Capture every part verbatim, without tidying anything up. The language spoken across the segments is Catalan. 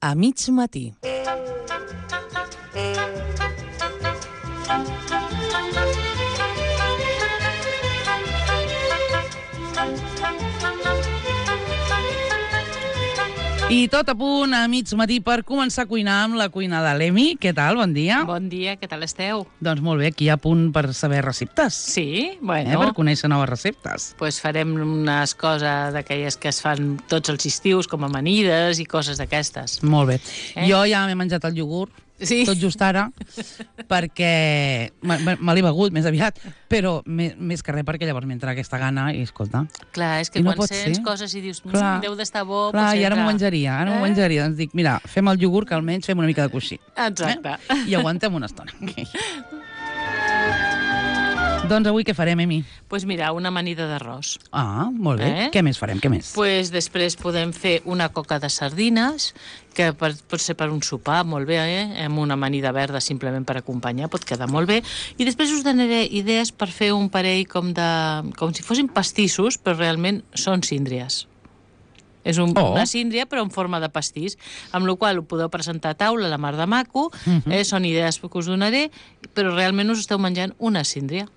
A mig matí. I tot a punt a mig matí per començar a cuinar amb la cuina de l'Emi. Què tal? Bon dia. Bon dia, què tal esteu? Doncs molt bé, aquí a punt per saber receptes. Sí? Bueno. Eh, per conèixer noves receptes. Pues farem unes coses d'aquelles que es fan tots els estius, com amanides i coses d'aquestes. Molt bé. Eh? Jo ja m'he menjat el iogurt, sí? tot just ara, perquè me, me l'he begut més aviat, però més, més que res perquè llavors m'entra aquesta gana i escolta... Clar, és que no quan sents ser. coses i dius, clar, deu d'estar bo... Clar, i ara entra... m'ho menjaria, ara m'ho eh? menjaria. Doncs dic, mira, fem el iogurt que almenys fem una mica de coixí. Exacte. Eh? I aguantem una estona. Doncs avui què farem, Emi? Doncs pues mira, una amanida d'arròs. Ah, molt bé. Eh? Què més farem? Què més? Pues després podem fer una coca de sardines, que per, pot ser per un sopar, molt bé, eh? Amb una amanida verda simplement per acompanyar, pot quedar molt bé. I després us donaré idees per fer un parell com de... com si fossin pastissos, però realment són síndries. És un, oh. una síndria, però en forma de pastís, amb la qual ho podeu presentar a taula, la mar de maco, uh-huh. eh? Són idees que us donaré, però realment us esteu menjant una síndria.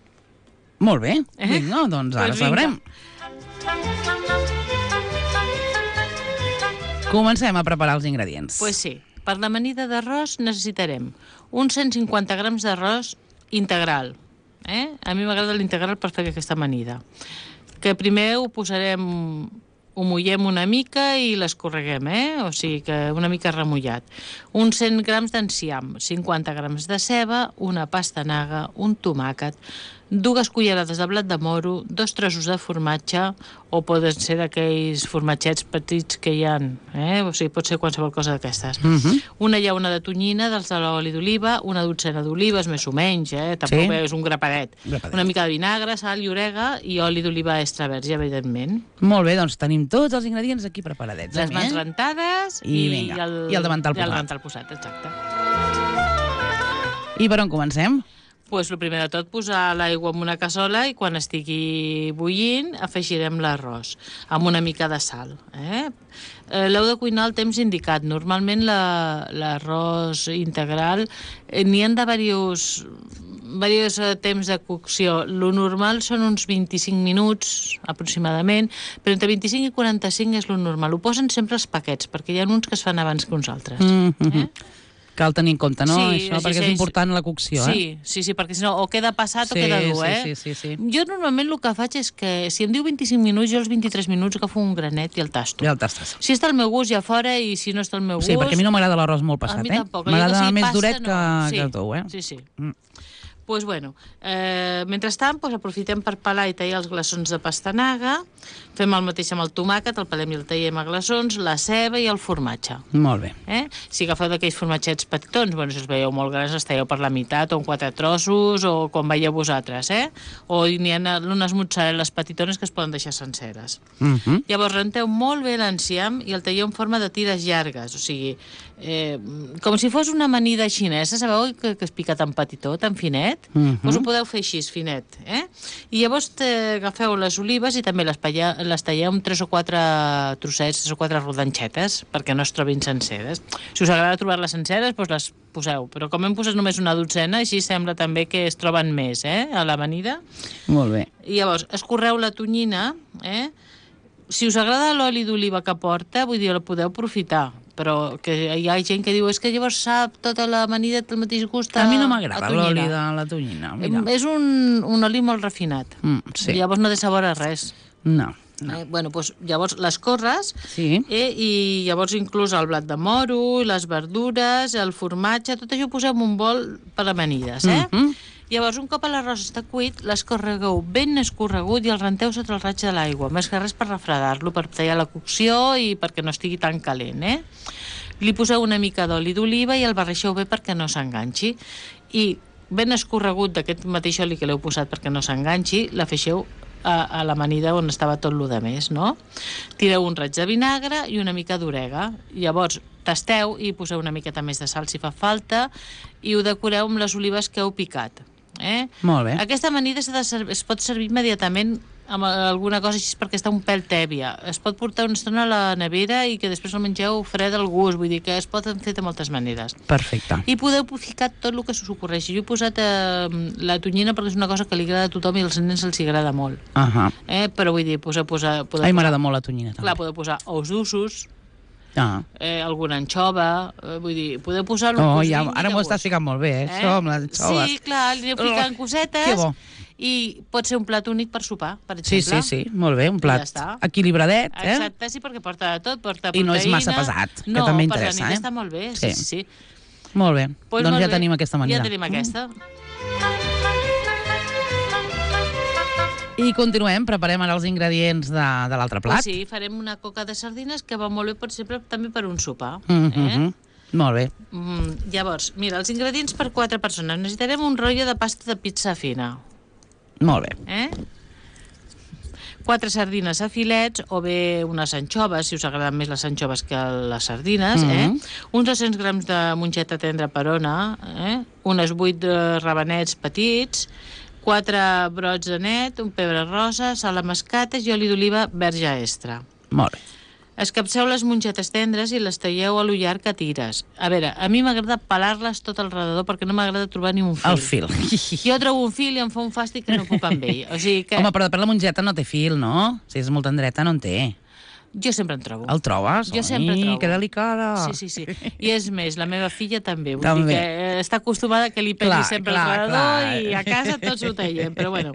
Molt bé, eh? vinga, doncs ara pues sabrem. Comencem a preparar els ingredients. Doncs pues sí, per l'amanida d'arròs necessitarem uns cent cinquanta grams d'arròs integral. Eh? A mi m'agrada l'integral per fer aquesta amanida. Que primer ho posarem... ho mullem una mica i l'escorreguem, eh? O sigui que una mica remullat. Uns cent grams d'enciam, cinquanta grams de ceba, una pastanaga, un tomàquet, dues cullerades de blat de moro, dos trossos de formatge, o poden ser d'aquells formatgets petits que hi ha, eh? O sigui, pot ser qualsevol cosa d'aquestes. Uh-huh. Una llauna de tonyina, dels de l'oli d'oliva, una dotzena d'olives, més o menys, eh? Tampoc sí. És un grapadet. grapadet. Una mica de vinagre, sal i orega i oli d'oliva extra verge, evidentment. Molt bé, doncs tenim tots els ingredients aquí preparadets. Les mans eh? rentades i, i, vinga, i, el, i el davantal posat. I el davantal posat, exacte. I per on comencem? Pues el primer de tot, posar l'aigua en una cassola i quan estigui bullint afegirem l'arròs amb una mica de sal. Eh? Eh, l'heu de cuinar al temps indicat. Normalment l'arròs la, integral eh, n'hi ha de diversos, diversos temps de cocció. Lo normal són uns vint-i-cinc minuts aproximadament, però entre vint-i-cinc i quaranta-cinc és lo normal. Ho posen sempre els paquets, perquè hi ha uns que es fan abans que uns altres. Mm-hmm. eh? Cal tenir en compte, no? Sí, això, perquè sí, és important la cocció, sí, eh? Sí, sí, perquè si no, o queda passat sí, o queda dur, eh? Sí, sí, sí, sí. Jo normalment el que faig és que, si em diu vint-i-cinc minuts, jo els vint-i-tres minuts agafo un granet i el tasto. I el tastes. Si està al meu gust, ja fora, i si no està al meu gust... Sí, perquè a mi no m'agrada l'arròs molt passat, a mi eh? tampoc. M'agrada si més passa, duret que, no. sí, que tou, eh? Sí, sí. Mm. Pues bueno, eh, mentrestant pues, aprofitem per pelar i tallar els glaçons de pastanaga, fem el mateix amb el tomàquet, el pelem i el tallem a glaçons, la ceba i el formatge. Molt bé. Eh? Si agafeu d'aquells formatgets petitons, bueno, si els veieu molt grans, els talleu per la meitat o en quatre trossos o com veieu vosaltres, eh? O n'hi ha unes mozzarelles petitones que es poden deixar senceres. Mm-hmm. Llavors renteu molt bé l'enciam i el talleu en forma de tires llargues, o sigui, eh, com si fos una amanida xinesa, sabeu que, que és picat en petitó, tan finet? Mm-hmm. Us ho podeu fer així, finet, eh? I llavors agafeu les olives i també les, palla, les talleu amb tres o quatre trossets, tres o quatre rodanxetes, perquè no es trobin senceres. Si us agrada trobar-les senceres, doncs les poseu, però com hem posat només una dotzena, així sembla també que es troben més, eh, a l'amanida. Molt bé. I llavors, escorreu la tonyina, eh? Si us agrada l'oli d'oliva que porta, vull dir, la podeu aprofitar, però que hi ha gent que diu és que llavors sap tota l'amanida el mateix gust a A mi no m'agrada l'oli de la tonyina. Mira. És un, un oli molt refinat. Mm, sí. Llavors no té sabor a res. No. No. Eh, bueno, doncs, llavors les corres sí. eh, i llavors inclús el blat de moro, les verdures, el formatge, tot això ho poseu en un bol per amanides, eh? Mm-hmm. Llavors, un cop l'arròs està cuit, l'escorregueu ben escorregut i el renteu sota el raig de l'aigua, més que res per refredar-lo, per tallar la cocció i perquè no estigui tan calent, eh? Li poseu una mica d'oli d'oliva i el barreixeu bé perquè no s'enganxi. I ben escorregut d'aquest mateix oli que l'heu posat perquè no s'enganxi, l'afegeu a, a l'amanida on estava tot lo de més, no? Tireu un raig de vinagre i una mica d'orega. Llavors, tasteu i poseu una miqueta més de sal si fa falta i ho decoreu amb les olives que heu picat. Eh? Molt bé. Aquesta amanida de es pot servir immediatament amb alguna cosa així perquè està un pèl tèbia. Es pot portar una estona a la nevera i que després el mengeu fred al gust, vull dir que es pot fer de moltes maneres. Perfecte. I podeu ficar tot el que s'us ocorreixi. Jo he posat eh, la tonyina perquè és una cosa que li agrada a tothom i als nens els agrada molt. Uh -huh. eh? Però vull dir, posar... posar Ai, m'agrada molt la tonyina, també. Clar, podeu posar ous d'ussos, Ah. eh, alguna anxova, eh, vull dir, podeu posar... Oh, ja, ara m'ho estàs ficant molt bé, eh? eh? Això amb les anxoves. Sí, clar, li aneu ficant cosetes. Que bo. I pot ser un plat únic per sopar, per Sí, exemple. sí, sí, molt bé, un plat ja equilibradet, eh? Exacte, sí, perquè porta de tot, porta proteïna... I no és massa pesat, que no, també interessa, eh? eh? No, està molt bé, sí, sí, sí. Molt bé, pues doncs molt ja bé. tenim aquesta manera. Ja tenim aquesta. I continuem, preparem ara els ingredients de, de l'altre plat. Pues sí, farem una coca de sardines que va molt bé, per exemple, també per un sopar. Mm eh? -hmm. Molt bé. Mm, llavors, mira, els ingredients per quatre persones. Necessitarem un rotllo de pasta de pizza fina. Molt bé. Eh? Quatre sardines a filets o bé unes anxoves, si us agraden més les anxoves que les sardines, Mhm. eh? Uns dos-cents grams de mongeta tendra perona, eh? Unes vuit eh, rabanets petits, quatre brots de net, un pebre rosa, sal a mascates i oli d'oliva verge extra. Molt bé. Escapceu les mongetes tendres i les talleu a lo llarg a tires. A veure, a mi m'agrada pelar-les tot al redador perquè no m'agrada trobar ni un fil. El fil. Jo trobo un fil i em fa un fàstic que no puc amb ell. O sigui que... Home, però depèn la mongeta no té fil, no? Si és molt tendreta, no en té. Jo sempre en trobo. El trobes? Jo sempre Ai, trobo. que delicada. Sí, sí, sí. I és més, la meva filla també. Vull També. dir que està acostumada que li peli Clar, sempre clar, al redador clar. i a casa tots ho tallem. Però bueno,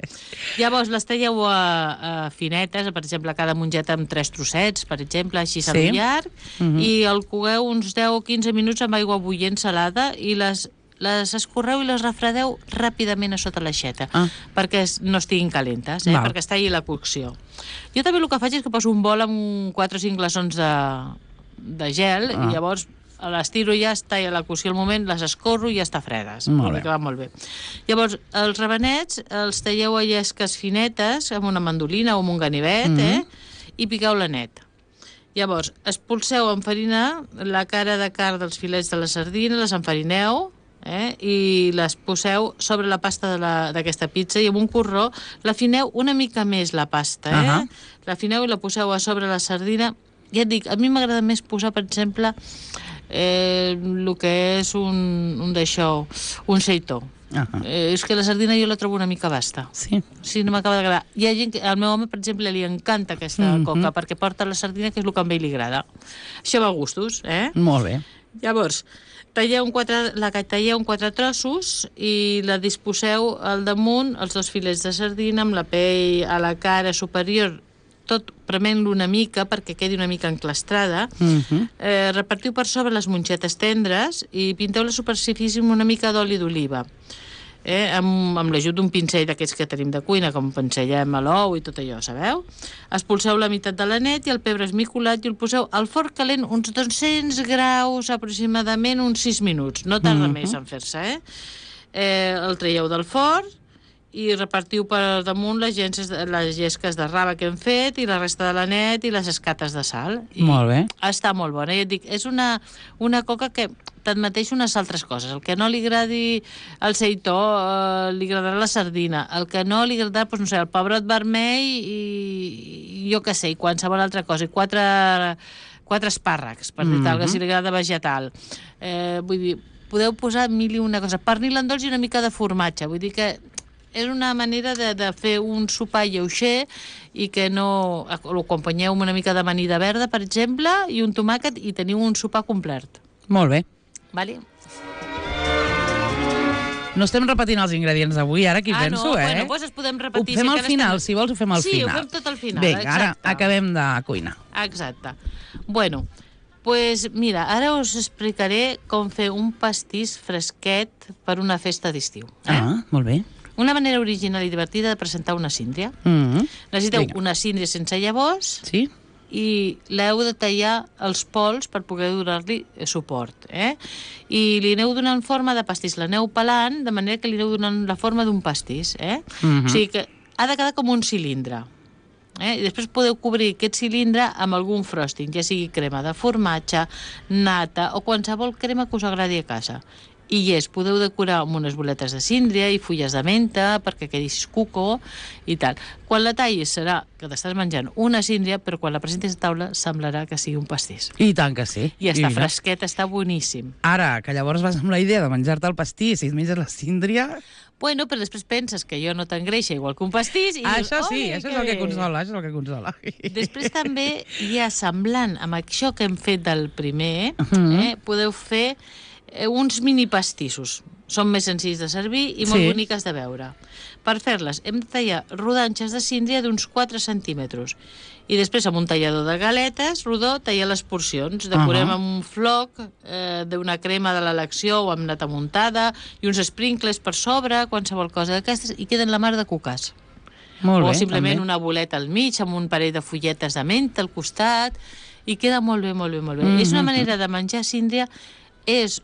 llavors les talleu a, a finetes, per exemple, cada mongeta amb tres trossets, per exemple, així Sí. sí. llarg, Mhm. i el cogueu uns deu o quinze minuts amb aigua bullent salada i les les escorreu i les refredeu ràpidament a sota l'aixeta, Ah. perquè es- no estiguin calentes, eh? Val. perquè es talli la cocció. Jo també el que faig és que poso un bol amb quatre o cinc glaçons de, de gel Ah. i llavors les tiro i ja està a la cocció al moment, les escorro i ja està fredes. Molt Vol dir bé. que va molt bé. Llavors, els rabanets els talleu a llesques finetes amb una mandolina o amb un ganivet, Mhm. eh? I piqueu-la net. Llavors, expulseu amb farina la cara de carn dels filets de la sardina, les enfarineu, eh? I les poseu sobre la pasta de la- d'aquesta pizza i amb un corró l'afineu una mica més, la pasta, eh? Ahà. L'afineu i la poseu a sobre la sardina. Ja et dic, a mi m'agrada més posar, per exemple, eh, el que és un, un d'això, un seitó. Ah, Eh, és que la sardina jo la trobo una mica basta. sí. Sí, no m'acaba d'agradar. Hi ha gent que, al meu home, per exemple, li encanta aquesta Mhm. coca, perquè porta la sardina, que és el que a ell li agrada. Això va a gustos, eh? Molt bé. Llavors, talleu un quatre, la que talleu en quatre trossos i la disposeu al damunt, els dos filets de sardina, amb la pell a la cara superior, tot prement-lo una mica perquè quedi una mica enclastrada. Mhm. Eh, repartiu per sobre les mongetes tendres i pinteu la superfície amb una mica d'oli d'oliva. Eh, amb, amb l'ajut d'un pincell d'aquests que tenim de cuina, com pincellem a l'ou i tot allò, sabeu? Expulseu la meitat de la net i el pebre esmicolat i el poseu al forn calent uns dos-cents graus, aproximadament uns sis minuts. No tarda Mhm. més en fer-se, eh? eh? El traieu del forn i repartiu per damunt les, llences, les llesques de raba que hem fet i la resta de la net i les escates de sal. I Molt bé. està molt bona. I et dic, és una, una coca que tanmateix unes altres coses. El que no li agradi el seitó, eh, li agradarà la sardina. El que no li agradarà, doncs, no sé, el pebrot vermell i, i jo què sé, i qualsevol altra cosa. I quatre, quatre espàrrecs, per dir tal, Mhm. que si li agrada vegetal. Eh, vull dir, podeu posar mil i una cosa. Pernil en dolç i una mica de formatge. Vull dir que és una manera de, de fer un sopar lleuger i que no... Ho acompanyeu amb una mica d'amanida verda, per exemple, i un tomàquet i teniu un sopar complet. Molt bé. Vale? No estem repetint els ingredients d'avui, ara aquí ah, penso, no, eh? bueno, doncs es podem Ho repetir. fem si al encara final, estem... si vols ho fem al sí, final. Sí, ho fem tot al final, Vinga, ara exacte. acabem de cuinar. Exacte. Bueno, pues mira, ara us explicaré com fer un pastís fresquet per una festa d'estiu. Eh? Ah, molt bé. Una manera original i divertida de presentar una síndria. Mm. Necessiteu Vinga. una síndria sense llavors, Sí? i l'heu de tallar els pols per poder donar-li suport, eh? I li aneu donant forma de pastís, l'aneu pelant de manera que li aneu donant la forma d'un pastís, eh? Mhm. O sigui que ha de quedar com un cilindre, eh? I després podeu cobrir aquest cilindre amb algun frosting, ja sigui crema de formatge, nata o qualsevol crema que us agradi a casa. i és, podeu decorar amb unes boletes de síndria i fulles de menta perquè quedi cuco i tal. Quan la tallis serà que t'estàs menjant una síndria, però quan la presentis a taula semblarà que sigui un pastís. I tant que sí. I està fresquet, està boníssim. Ara, que llavors vas amb la idea de menjar-te el pastís i et menges la síndria... Bueno, però després penses que jo no t'engreixa igual que un pastís i ah, dius, això sí, això és el que bé. consola, això és el que consola. Després també hi ha semblant amb això que hem fet del primer, Uh-huh. eh, podeu fer eh, uns mini pastissos. Són més senzills de servir i molt Sí. boniques de veure. Per fer-les hem de tallar rodanxes de síndria d'uns quatre centímetres i després amb un tallador de galetes rodó tallar les porcions. Decorem Uh-huh. amb un floc eh, d'una crema de l'elecció o amb nata muntada i uns sprinkles per sobre, qualsevol cosa d'aquestes, i queden la mar de cucàs. Molt o bé, simplement també. una boleta al mig amb un parell de fulletes de menta al costat i queda molt bé, molt bé, molt bé. Mm-hmm. És una manera de menjar síndria, és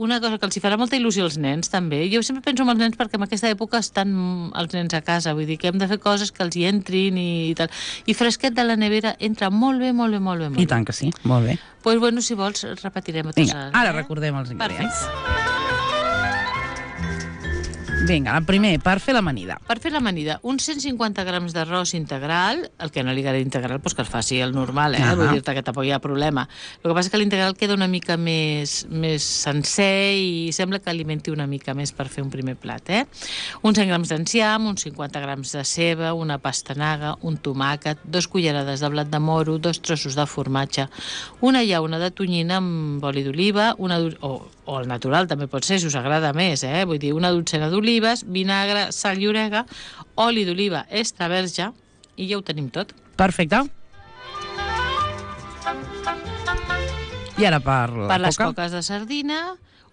una cosa que els hi farà molta il·lusió als nens, també. Jo sempre penso en els nens perquè en aquesta època estan els nens a casa, vull dir que hem de fer coses que els hi entrin i tal. I fresquet de la nevera entra molt bé, molt bé, molt bé. Molt I tant que sí, molt bé. Doncs, pues, bueno, si vols, repetirem a tots. Vinga, ara recordem els ingredients. Perfecte. Vinga, el primer, per fer l'amanida. Per fer l'amanida, uns cent cinquanta grams d'arròs integral, el que no li agrada integral, doncs que el faci el normal, eh? Ah. Vull dir-te que tampoc hi ha problema. El que passa és que l'integral queda una mica més, més sencer i sembla que alimenti una mica més per fer un primer plat, eh? Uns cent grams d'enciam, uns cinquanta grams de ceba, una pastanaga, un tomàquet, dos cullerades de blat de moro, dos trossos de formatge, una llauna de tonyina amb oli d'oliva, una o, o el natural també pot ser, si us agrada més, eh? Vull dir, una dotzena d'olives, vinagre, sal i orega, oli d'oliva extra verge, i ja ho tenim tot. Perfecte. I ara per la Per les coca. coques de sardina,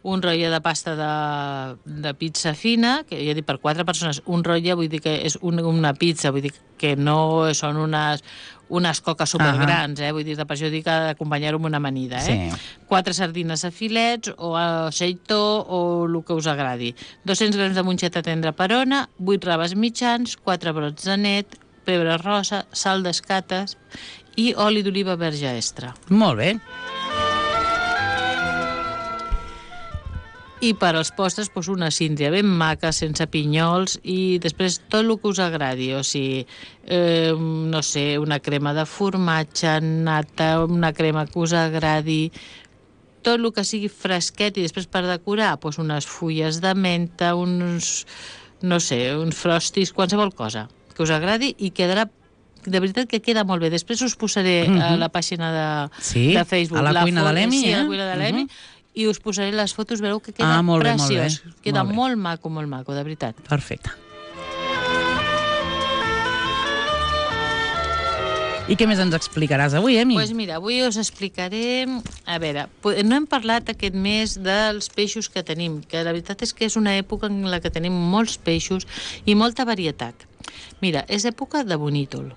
un rotlle de pasta de, de pizza fina, que ja he dit per quatre persones, un rotlle vull dir que és un, una pizza, vull dir que no són unes, unes coques supergrans, eh? Vull dir, per això dic que d'acompanyar-ho amb una amanida, eh? Sí. Quatre sardines a filets o a xeitó o el que us agradi. dos-cents grams de monxeta tendra perona, vuit raves mitjans, quatre brots de net, pebre rosa, sal d'escates i oli d'oliva verge extra. Molt bé. I per als postres, doncs una síndria ben maca, sense pinyols, i després tot el que us agradi, o sigui, eh, no sé, una crema de formatge, nata, una crema que us agradi, tot el que sigui fresquet, i després per decorar, doncs unes fulles de menta, uns, no sé, uns frostis, qualsevol cosa que us agradi, i quedarà de veritat que queda molt bé. Després us posaré uh-huh. a la pàgina de, Sí, de Facebook. a la cuina foto, de l'Emi, sí, eh? a la cuina de l'Emi, Uh-huh. i us posaré les fotos, veureu que queda Ah, molt bé, molt preciós. bé, Queda molt bé. molt maco, molt maco, de veritat. Perfecte. I què més ens explicaràs avui, Emi? Doncs pues mira, avui us explicaré... A veure, po- no hem parlat aquest mes dels peixos que tenim, que la veritat és que és una època en la que tenim molts peixos i molta varietat. Mira, és època de bonítol,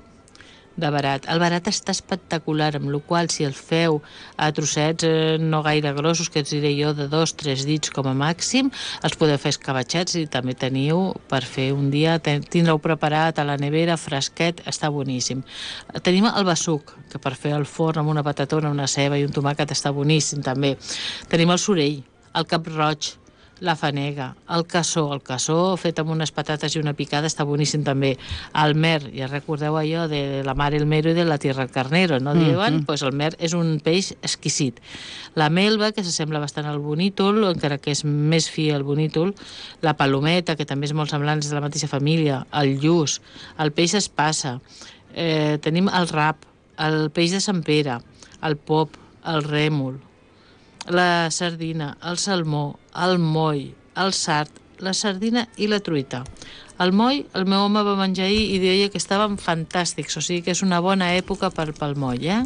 de barat. El barat està espectacular, amb la qual si el feu a trossets eh, no gaire grossos, que us diré jo de dos, tres dits com a màxim, els podeu fer escabatxats i també teniu per fer un dia, ten- tindreu preparat a la nevera, fresquet, està boníssim. Tenim el besuc, que per fer al forn amb una patatona, una ceba i un tomàquet està boníssim també. Tenim el sorell, el cap roig, la fanega, el cassó, el cassó fet amb unes patates i una picada està boníssim també. El mer, ja recordeu allò de la mar el mero i de la tierra el carnero, no diuen? Mhm. Pues el mer és un peix exquisit. La melva, que s'assembla bastant al bonítol, encara que és més fi el bonítol, la palometa, que també és molt semblant, és de la mateixa família, el lluç, el peix espassa, eh, tenim el rap, el peix de Sant Pere, el pop, el rèmol, la sardina, el salmó, el moll, el sard, la sardina i la truita. El moll, el meu home va menjar ahir i deia que estaven fantàstics, o sigui que és una bona època per, pel moll, eh?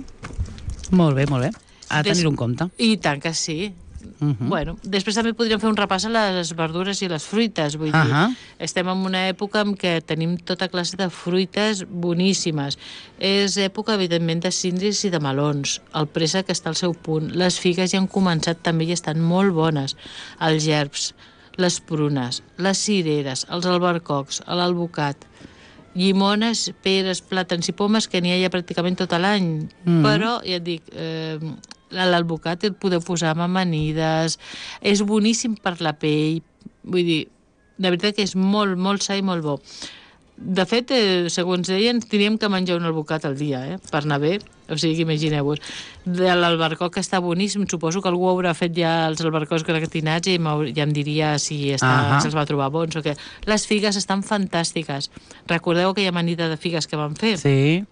Molt bé, molt bé. A Des- tenir-ho en compte. I tant que sí. Mhm. Bueno, després també podríem fer un repàs a les verdures i les fruites, vull dir, Ahà. estem en una època en què tenim tota classe de fruites boníssimes. És època, evidentment, de síndries i de melons. El préssec està al seu punt. Les figues ja han començat també i estan molt bones. Els gerbs, les prunes, les cireres, els albercocs, l'alvocat, llimones, peres, plàtans i pomes, que n'hi ha ja pràcticament tot l'any. Mm. Però, ja et dic, eh, l'alvocat el podeu posar amb amanides, és boníssim per la pell, vull dir, de veritat que és molt, molt sa i molt bo. De fet, eh, segons deien, teníem que menjar un alvocat al dia, eh, per anar bé. O sigui, imagineu-vos. De l'albercoc que està boníssim, suposo que algú haurà fet ja els albercocs gratinats i ja em diria si està, se'ls va trobar bons o què. Les figues estan fantàstiques. Recordeu aquella amanida de figues que vam fer? Sí.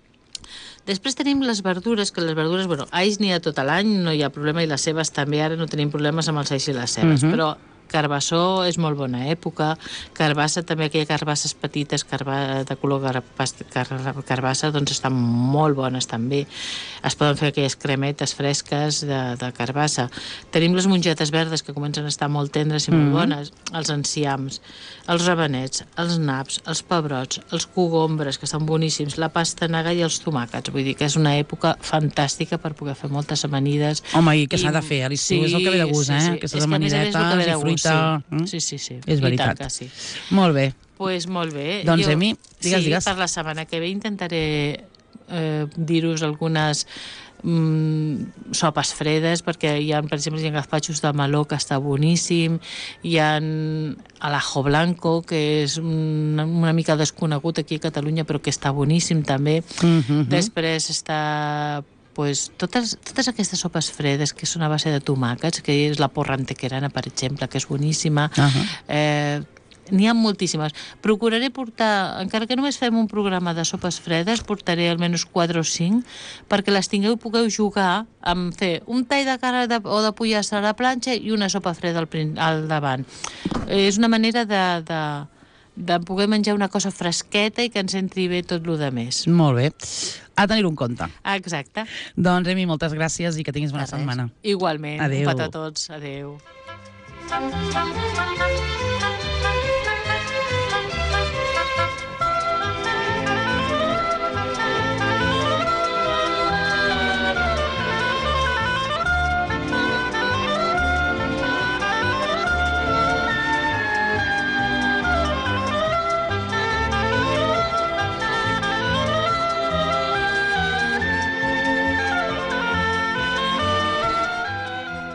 Després tenim les verdures, que les verdures, bueno, alls n'hi ha tot l'any, no hi ha problema, i les cebes també, ara no tenim problemes amb els alls i les cebes, uh -huh. però carbassó és molt bona època, carbassa també, aquelles carbasses petites, carba, de color carbassa, carbassa, doncs estan molt bones també. Es poden fer aquelles cremetes fresques de, de carbassa. Tenim les mongetes verdes, que comencen a estar molt tendres i molt mm. bones, els enciams, els rabenets, els naps, els pebrots, els cogombres, que estan boníssims, la pastanaga i els tomàquets. Vull dir que és una època fantàstica per poder fer moltes amanides. Home, i que s'ha de fer, a l'estiu sí, és el que ve de gust, sí, eh? Sí. Aquestes amanidetes i fruita. Sí. Mm? sí, sí, sí. És veritat. I tant que sí. Molt bé. Doncs pues molt bé. Doncs, jo, Emi, digues, sí, digues. Per la setmana que ve intentaré eh, dir-vos algunes mm, sopes fredes, perquè hi ha, per exemple, hi ha gazpachos de meló, que està boníssim, hi ha alajo blanco, que és una, una mica desconegut aquí a Catalunya, però que està boníssim també. Mm-hmm. Després està... Pues, totes, totes aquestes sopes fredes que són a base de tomàquets, que és la porra antequerana, per exemple, que és boníssima. Uh-huh. eh, N'hi ha moltíssimes. Procuraré portar, encara que només fem un programa de sopes fredes, portaré almenys quatre o cinc, perquè les tingueu i pugueu jugar amb fer un tall de carn de, o de pollastre a la planxa i una sopa freda al, al davant. Eh, és una manera de... de de poder menjar una cosa fresqueta i que ens entri bé tot el més. Molt bé. A tenir-ho en compte. Exacte. Doncs, Emi, moltes gràcies i que tinguis bona setmana. Igualment. Adéu. Un petó a tots. Adéu.